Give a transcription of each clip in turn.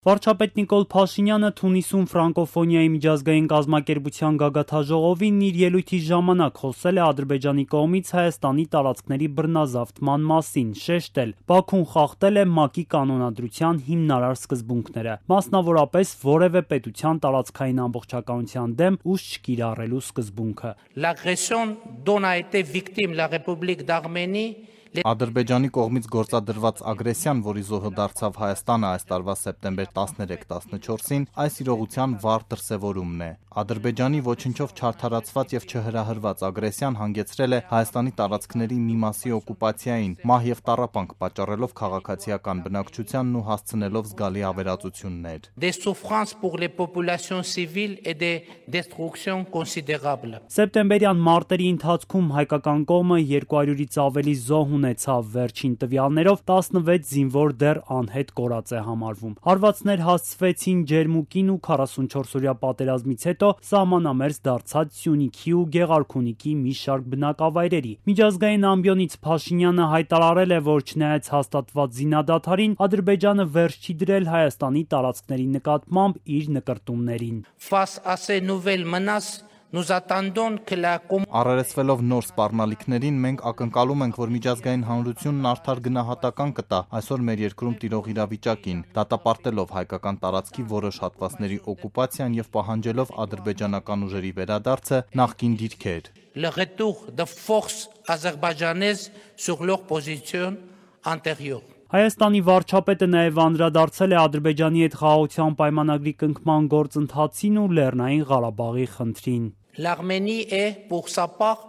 Վարչապետ Նիկոլ Փաշինյանը Թունիսում ֆրանկոֆոնիայի միջազգային կազմակերպության գագաթաժողովին իր ելույթի ժամանակ խոսել է Ադրբեջանի կողմից Հայաստանի տարածքների բռնազավթման մասին, շեշտել՝ Բաքուն խախտել է ՄԱԿ-ի կանոնադրության հիմնարար սկզբունքները, մասնավորապես որևէ պետության տարածքային ամբողջականության դեմ ուժ չկիրառելու սկզբունքը։ L'agression dont a été victime la République d'Arménie Ադրբեջանի կողմից գործադրված ագրեսիան, որի զոհը դարձավ Հայաստանը այս տարվա սեպտեմբեր 13-14-ին, այս իրողության վառ դրսևորումն է։ Ադրբեջանի ոչնչով չարդարացված եւ չհրահրված ագրեսիան հանգեցրել է Հայաստանի տարածքների մի մասի օկուպացիային, մահ եւ տառապանք պատճառելով քաղաքացիական բնակչությանն ու հասցնելով զգալի ավերածություններ։ Des souffrances pour les populations civiles et des destructions considérables։ Սեպտեմբերյան մարտերի ընթացքում հայկական կողմը 200-ից ավելի զոհ ունեցավ, վերջին տվյալներով 16 զինվոր դեռ անհետ կորած է համարվում։ Հարվածներ հասցվեցին Ջերմուկին ու 44-օրյա պատերազմից հետո սահմանամերձ դարձած Սյունիքի ու Գեղարքունիքի մի շարք բնակավայրերի։ Միջազգային ամբիոնից Փաշինյանը հայտարարել է, որ չնայած հաստատված զինադադարին, Ադրբեջանը վերջ չի դրել Հայաստանի տարածքների նկատմամբ իր նկրտումներին։ Face à ces nouvelles menaces, nous attendons que la Առերեսվելով նոր սպառնալիքներին, մենք ակնկալում ենք, որ միջազգային հանրությունն արդար գնահատական կտա այսօր մեր երկրում տիրող իրավիճակին, դատապարտելով հայկական տարածքի որոշ հատվածների օկուպացիան եւ պահանջելով ադրբեջանական ուժերի վերադարձը նախկին դիրքեր։ le retour de forces azerbaïdjanaises sur leur position antérieure։ Հայաստանի վարչապետը նաև անդրադարձել է Ադրբեջանի հետ խաղաղության պայմանագրի կնքման գործընթացին ու Լեռնային Ղարաբաղի խնդրին։ L'Arménie est pour sa part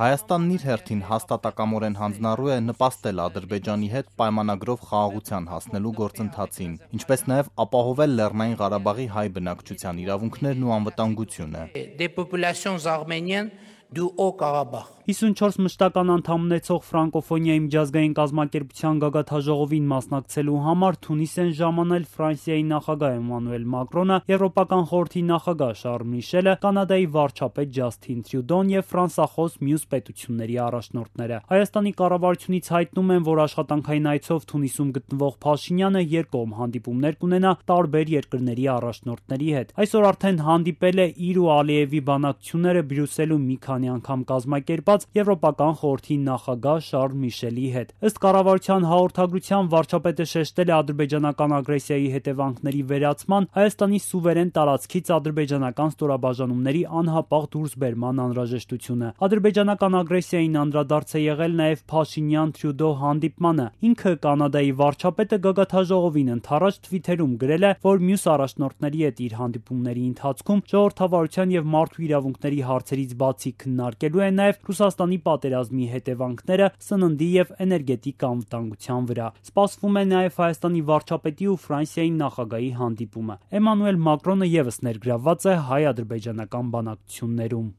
Հայաստանն իր հերթին հաստատակամորեն հանձնառու է նպաստել Ադրբեջանի հետ պայմանագրով խաղաղության հասնելու գործընթացին, ինչպես նաև ապահովել Լեռնային Ղարաբաղի հայ բնակչության իրավունքներն ու անվտանգությունը։ des populations arméniennes du Haut-Karabakh։ 54 մշտական անդամ ունեցող ֆրանկոֆոնիայի միջազգային կազմակերպության գագաթաժողովին մասնակցելու համար Թունիս են ժամանել Ֆրանսիայի նախագահ Էմանուել Մակրոնը, Եվրոպական խորհրդի նախագահ Շարլ Միշելը, Կանադայի վարչապետ Ջասթին Տրյուդոն եւ ֆրանսախոս մյուս պետությունների առաջնորդները։ Հայաստանի կառավարությունից հայտնում են, որ աշխատանքային այցով Թունիսում գտնվող Փաշինյանը երկկողմ հանդիպումներ կունենա տարբեր երկրների առաջնորդների հետ։ Այսօր արդեն հանդիպել է իր ու Ալիևի բանակցությունները Բրյուսելում մի քանի անգամ կազմակերպած Եվրոպական խորհրդի նախագահ Շարլ Միշելի հետ։ Ըստ կառավարության հաղորդագրության վարչապետը շեշտել է ադրբեջանական ագրեսիայի հետևանքների վերացման, Հայաստանի սուվերեն տարածքից ադրբեջանական ստորաբաժանումների անհապաղ դուրսբերման անհրաժեշտությունը։ Ադրբեջանական ագրեսիային անդրադարձ է եղել նաև Փաշինյան-Տրյուդո հանդիպմանը։ Ինքը Կանադայի վարչապետը գագաթաժողովին ընդառաջ թվիթերում գրել է, որ մյուս առաջնորդների հետ իր հանդիպումների ընթացքում ժողովրդավարության եւ մարդու իրավունքների հարցերից բացի քննարկելու է նաև Ռուսաստանի պատերազմի հետևանքները սննդի եւ էներգետիկ անվտանգության վրա։ Սպասվում է նաև Հայաստանի վարչապետի ու Ֆրանսիայի նախագահի հանդիպումը։ Էմանուել Մակրոնը եւս ներգրավված է հայ-ադրբեջանական բանակցություններում։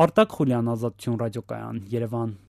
Արտակ Խուլյան, Ազատություն ռադիոկայան, Երևան։